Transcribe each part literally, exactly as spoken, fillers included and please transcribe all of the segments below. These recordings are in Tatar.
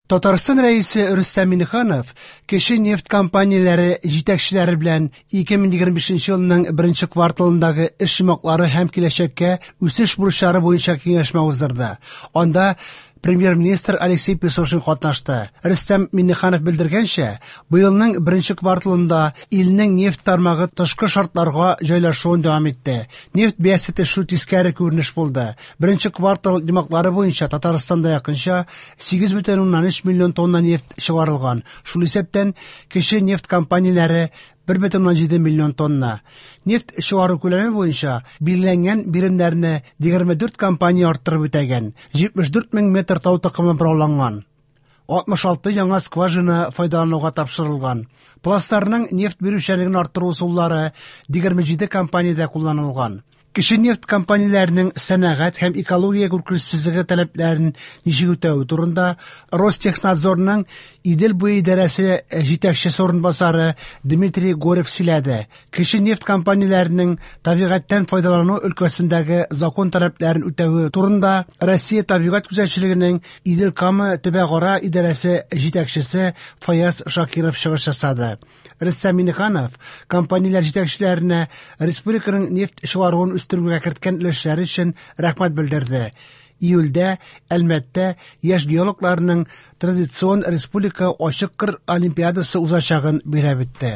Татарстан Рәисе Рөстәм Миңнеханов кече нефть компанияләре җитәкчеләре белән ике мең егерме бишенче елның беренче кварталындагы эш йомгаклары һәм киләчәккә үсеш бурычлары буенча киңәшмә уздырды. Анда премьер-министр Алексей Песошин катнашты. Рөстәм Миңнеханов белдергәнчә, быелның беренче кварталында илнең нефть тармагы тышкы шартларга җайлашуын дәвам итте. Нефть бәясе төшү тискәре күренеш булды. Беренче квартал йомгаклары буенча Татарстанда якынча сигез бөтен уннан өч миллион тонна нефть чыгарылган. Шул исәптән кече нефть компанияләре бер бөтен уннан җиде миллион тонна. Нефть чыгару күләме буенча билгеләнгән биремнәрне егерме дүрт компания арттырып үтәгән. Җитмеш дүрт мең метр тау токымы борауланган. Алтмыш алты яңа скважина файдалануга тапшырылган. Пластларның нефть бирүчәнлеген арттыру ысуллары егерме җиде компаниядә кулланылган. Кече нефть компанияләренең сәнәгать һәм экология куркынычсызлыгы таләпләрен ничек үтәве турында Ростехнадзорның Идел буе идарәсе җитәкчесе урынбасары Дмитрий Горев сөйләде. Кече нефть компанияләренең табигатьтән файдалану өлкәсендәге закон таләпләрен үтәве турында Россия табигать күзәтчелегенең Идел-Кама төбәкара идарәсе җитәкчесе Фаяз Шакиров чыгыш ясады. Рөстәм Миңнеханов компанияләр җитәкчеләренә республиканың нефть чыгаруын үстерүгә керткән өлешләре өчен рәхмәт белдерде. Июльдә Әлмәттә яшь геологларның традицион республика ачык кыр олимпиадасы узачагын билгеләп үтте.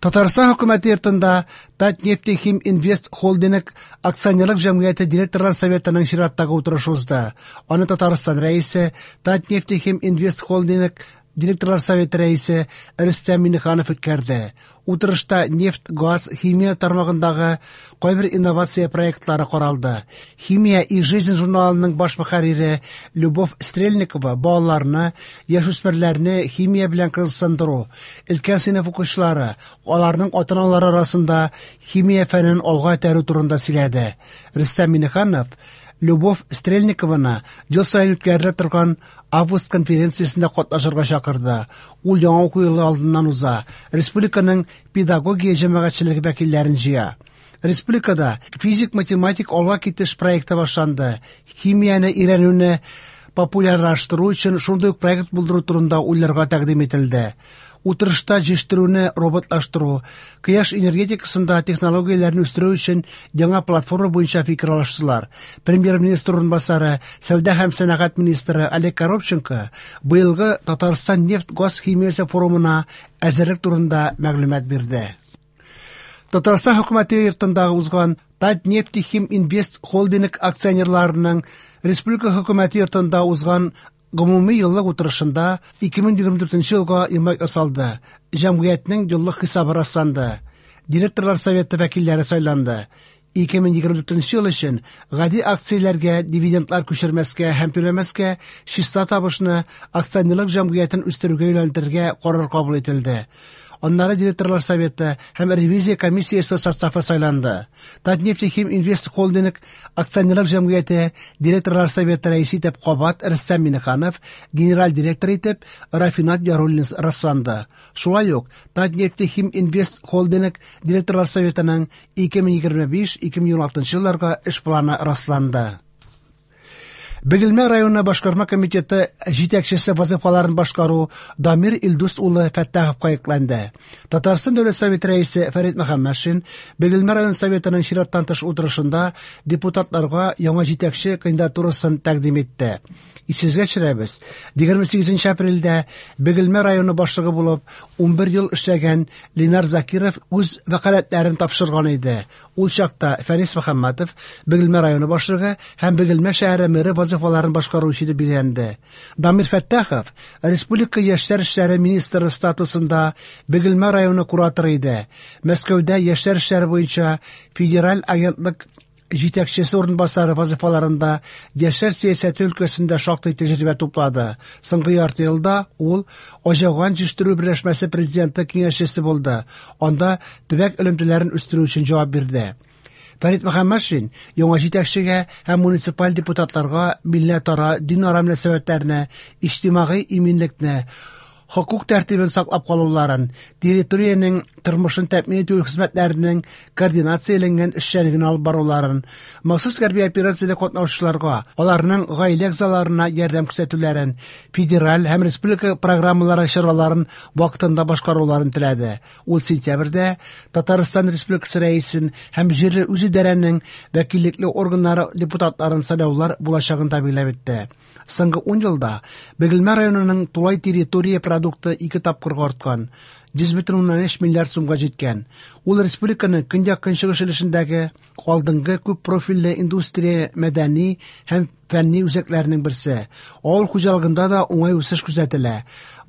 Татарстан хөкүмәте йортында Татнефтехим Инвест Холдинг акционерлык җәмгыяте директорлар советының чираттагы утырышы узды. Аны Татарстан рәисе Татнефтехим Инвест Холдинг директорлар советы рәисе Рөстәм Миңнеханов үткәрде. Утырышта нефть, газ, химия тармагындагы кайбер инновация проектлары каралды. Химия и жизнь журналының баш мөхәррире Любовь Стрельникова балаларны, яшүсмерләрне химия белән кызыксындыру, өлкән сыйныф укучылары, аларның ата-аналары арасында химия фәнен алга этәрү турында сөйләде. Рөстәм Миңнеханов Любовь Стрельникованы ел саен үткәрелә торган август конференциясендә катнашырга чакырды. Ул яңа уку елы алдыннан уза. Республиканың педагогия җәмәгатьчелеге вәкилләрен җыя. Республикада физик-математик алга китеш проекты башланды. Химияне өйрәнүне популярлаштыру өчен шундый ук проект булдыру турында уйларга тәкъдим ителде. Утырышта җитештерүне роботлаштыру, кояш энергетикасында технологияләрне үстерү өчен яңа платформа буенча фикер алыштылар. Премьер-министр урынбасары, сәүдә һәм сәнәгать министры Олег Коробченко быелгы Татарстан нефть-газ химиясе форумына әзерлек турында мәгълүмат бирде. Татарстан хөкүмәте йортында узган Татнефтехим Инвест Холдинг акционерларының республика хөкүмәте йортында узган гомуми еллык утырышында ике мең егерме дүртенче елга йомгак ясалды. Җәмгыятьнең еллык хисабы расланды. Директорлар советы вәкилләре сайланды. Ике мең егерме дүртенче ел өчен гади акцияләргә дивидендлар күчермәскә һәм түләмәскә, чиста табышны акционерлык җәмгыятен үстерүгә юнәлдерергә карар кабул ителде. Аннары директорлар советы һәм ревизия комиссиясе составы сайланды. Татнефтехим Инвест Холдинг акционерлык җәмгыяте директорлар советы рәисе итеп кабат Рөстәм Миңнеханов, генераль директор итеп Рафинат Яруллин расланды. Шулай ук Татнефтехим Инвест Холдинг директорлар советының ике мең егерме биш — ике мең егерме алтынчы елларга эш планы расланды. Бөгелмә районы башкарма комитеты җитәкчесе вазифаларын башкару Дамир Илдус улы Фәттаховка йөкләнде. Татарстан Дәүләт Советы рәисе Фәрит Мөхәммәтшин Бөгелмә район советының чираттан тыш утырышында депутатларга яңа җитәкче кандидатурасын тәкъдим итте. Исегезгә төшерәбез, егерме сигезенче апрельдә Бөгелмә районы башлыгы булып унбер ел эшләгән Ленар Закиров үз вәкаләтләрен тапшырган иде. Ул чакта Фәрис Мөхәммәтов Бөгелмә районы башлыгы һәм Бөгелмә шәһәре мэры вазифаларын башкаручы дип билгеләнде. Дамир Фәттахов Республика яшьләр эшләре министры статусында Бөгелмә районы кураторы иде. Мәскәүдә яшьләр эшләре буенча федераль агентлык җитәкчесе урынбасары вазифаларында яшьләр сәясәте өлкәсендә шактый тәҗрибә туплады. Соңгы ярты елда ул Аҗаган җитештерү берләшмәсе президенты киңәшчесе булды. Анда төбәк элемтәләрен үстерү өчен җавап бирде. Фәрит Мөхәммәтшин яңа җитәкчегә һәм муниципаль депутатларга милләтара, динара мөнәсәбәтләрне, иҗтимагый иминлекне, хокук тәртибен саклап калуларын, территориянең тормышын тәэмин итү хезмәтләренең координацияләнгән эшчәнлеген алып баруларын, махсус хәрби операциядә катнашучыларга, аларның гаилә әгъзаларына ярдәм күрсәтүләрен, федераль һәм республика программалары чараларын вакытында башкаруларын теләде. Ул сентябрьдә Татарстан Республикасы Рәисен һәм җирле үзидарәнең вәкиллекле органнары депутатларын сайлаулар булачагын да билгеләп үтте. Соңгы ун елда Бөгелмә районының тулай территория продукты ике тапкырга арткан, йөз бөтен уннан өч миллиард сумга җиткән. Ул республиканың көньяк-көнчыгыш өлешендәге алдынгы күп профильле индустрия, мәдәни һәм фәнни үзәкләренең берсе. Авыл хуҗалыгында да уңай үсеш күзәтелә.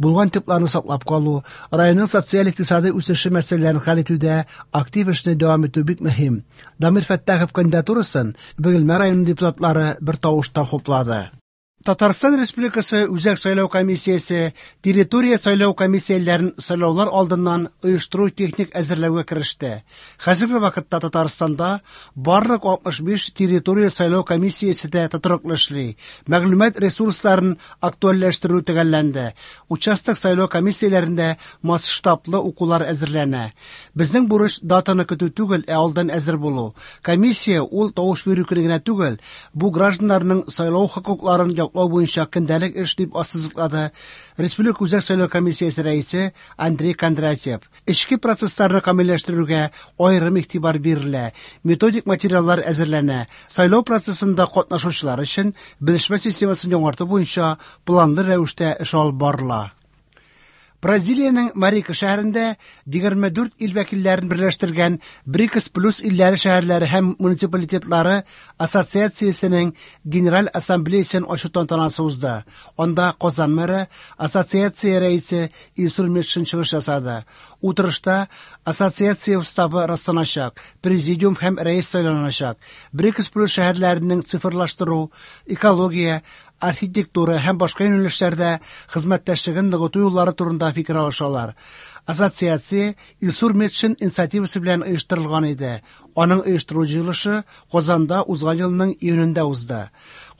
Булган типларны саклап калу, районның социаль-икътисади үсеше мәсьәләләрен хәл итүдә актив эшне дәвам итү бик мөһим. Дамир Фәттахов кандидатурасын Бөгелмә районы депутатлары бер тавыштан хуплады. Татарстан Республикасы Үзәк сайлау комиссиясе территория сайлау комиссияләрен сайлаулар алдыннан оештыру техник әзерләүгә кереште. Хәзерге вакытта Татарстанда барлык алтмыш биш территория сайлау комиссиясе дә тотрыклы эшли. Мәгълүмат ресурсларын актуальләштерү төгәлләнде. Участок сайлау комиссияләрендә масштаблы укулар әзерләнә. Безнең бурыч датаны көтү түгел, ә алдан әзер булу. Комиссия ул тавыш бирү көне генә түгел, бу гражданнарның сайлау хокукларын яклау буенча көндәлек эш дип ассызыклады Республика Үзәк сайлау комиссиясе рәисе Андрей Кондратьев. Эчке процессларны камилләштерүгә аерым игътибар бирелә, методик материаллар әзерләнә, сайлау процессында катнашучылар өчен белешмә системасын яңарту буенча планлы рәвештә эш алып барыла. Бразилиянең Марика шәһәрендә егерме дүрт ил вәкилләрен берләштергән БРИКС плюс илләре шәһәрләре һәм муниципалитетлары ассоциациясенең Генераль ассамблеясын ачу тантанасы узды. Анда Казан мэры, ассоциация рәисе Илсур Метшин чыгыш ясады. Утырышта ассоциация уставы расланачак, президиум һәм рәис сайланачак. БРИКС плюс шәһәрләренең цифрлаштыру, экология, архитектура һәм башка юнәлешләрдә хезмәттәшлеген ныгыту юллары турында фикер алышалар. Ассоциация Илсур Метшин инициативасы белән оештырылган иде. Аның оештыру җыелышы Казанда узган елның июнендә узды.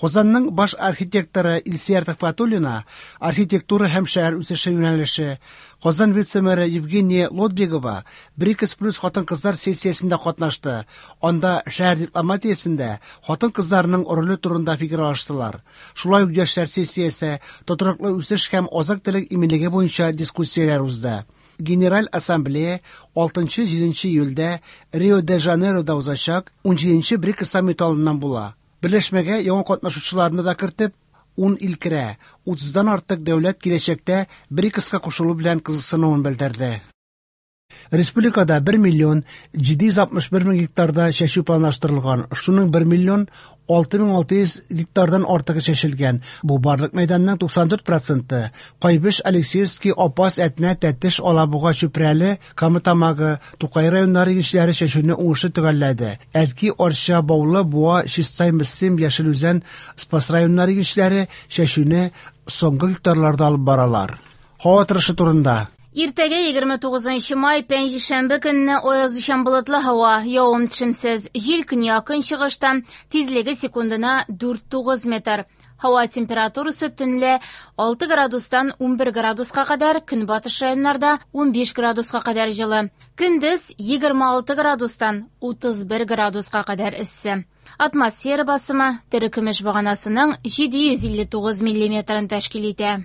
Казанның баш архитекторы Илсөяр Төхвәтуллина архитектура һәм шәһәр үсеше юнәлеше, Казан вице-мэры Евгения Лодвигова БРИКС плюс хатын-кызлар сессиясендә катнашты. Анда шәһәр дипломатиясендә хатын-кызларның роле турында фикер алыштылар. Шулай ук яшьләр сессиясе, тотрыклы үсеш һәм азык-төлек иминлеге буенча дискуссияләр узды. Генераль Ассамблея алтынчы-җиденче июльдә Рио-де-Жанейрода узачак унҗиденче БРИКС саммиты алдыннан була. Берләшмәгә яңа катнашучыларны да кертеп, ун ил керә. Утыздан артык дәүләт киләчәктә БРИКСка кушылу белән кызыксынуын белдерде. Республикада бер миллион җиде йөз алтмыш бер мең гектарда чәчү планлаштырылган. Шуның бер миллион алты мең алты йөз гектардан артыгы чәчелгән. Бу барлык мәйданның туксан дүрт проценты. Кайбыч, Алексеевский, Апас, Әтнә, Тәтеш, Алабуга, Чүпрәле, Кама Тамагы, Тукай районнары игенчеләре чәчүне уңышлы төгәлләде. Әлки, Арча, Баулы, Буа, Чистай, Мөслим, Яшел Үзән, Спас районнары игенчеләре чәчүне соңгы гектарларда алып баралар. Һава торышы турында. Иртәгә егерме тугызынчы май, пәнҗешәмбе көнне аязучан болытлы һава, явым-төшемсез, җил көньяк-көнчыгыштан, тизлеге секундына дүрт тугыз метр. Һава температурасы төнлә алты градустан унбер градуска кадәр, көнбатыш районнарда унбиш градуска кадәр җылы. Көндез егерме алты градустан утыз бер градуска кадәр эссе. Атмосфера басымы терекөмеш баганасының җиде йөз илле тугыз миллиметрын тәшкил итә.